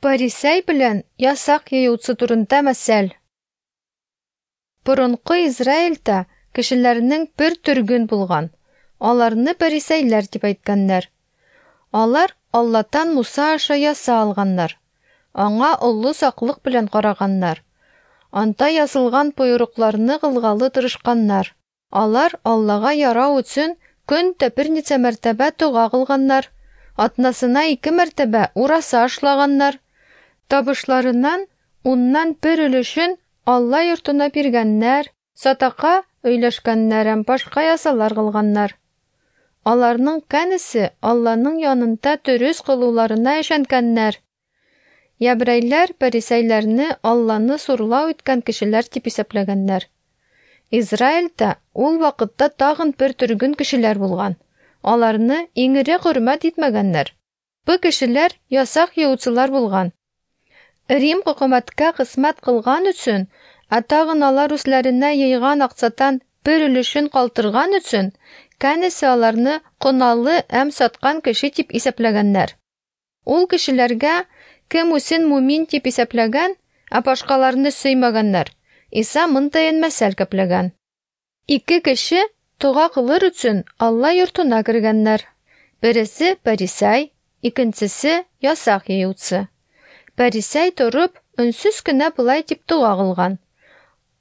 Парисәй белән ясак йыючы турында мәсәл. Борынкы Израильдә кешеләрнең бер төргөн булган. Аларны парисәйләр дип әйткәннәр. Алар Аллатан Муса аша яса алганнар. Аңа олы саклык белән караганнар. Анда язылган боерыкларны кылгалы тырышканнар. Алар Аллага ярау өчен көн дә берничә мәртәбә дога кылганнар, атнасына ике мәртәбә ураса ашлаганнар. Табышларыннан уннан бер өлешен Алла йортына биргәннәр, садака өләшкәннәр һәм башка ясалар кылганнар. Аларның кәнесе Алланың янында дөрес кылуларына ышанганнар. Ябрәйләр парисәйләрне Алланы сурлау иткән кешеләр дип исәпләгәннәр. Израильдә ул вакытта тагын бер төргөн кешеләр булган. Аларны иң эре хөрмәт итмәгәннәр. Бу кешеләр ясак йыючылар булган. Рим хөкүмәткә хезмәт кылган өчен, ә тагын алар үзләренә йыйган акчадан бер өлешен калтырган өчен, кәнесе аларны коналы һәм саткан кеше дип исәпләгәннәр. Ул кешеләргә кем үзен мумин дип исәпләгән, ә башкаларны сөймәгәннәр. Иса мондый мәсәл кәпләгән. Ике кеше дога кылыр өчен Алла йортына кергәннәр. Бересе парисәй, икенчесе ясак йыючы. Парисәй торып, өнсез кенә болай дип дога кылган: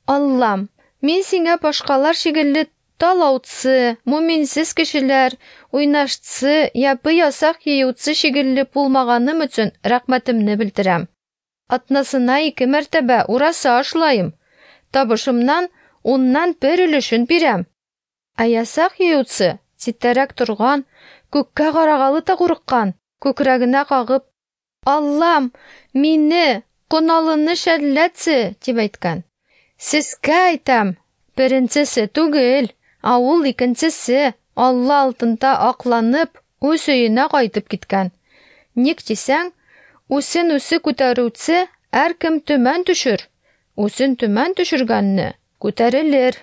Аллам, мин сиңа башкалар шикелле талаучы, муминсез кешеләр, уйнашчы, япы ясак йыючы шикелле булмаганым өчен рәхмәтемне белдерәм. Атнасына ике мәртәбә ураса ашлайым. Табышымнан уннан бер өлешен бирәм. Ә ясак йыючы читтәрәк торган, күккә карагалы да курыккан, күкрәгенә кагып: Аллам, мине, коналыны шәлләтсе, дип әйткән. Сезгә әйтәм, беренчесе түгел, ә ул икенчесе Алла алдында акланып, үз өенә кайтып киткән. Ник дисәң, үзен үзе күтәрүче һәркем төмән төшер, үзен төмән төшергәнне күтәрелер.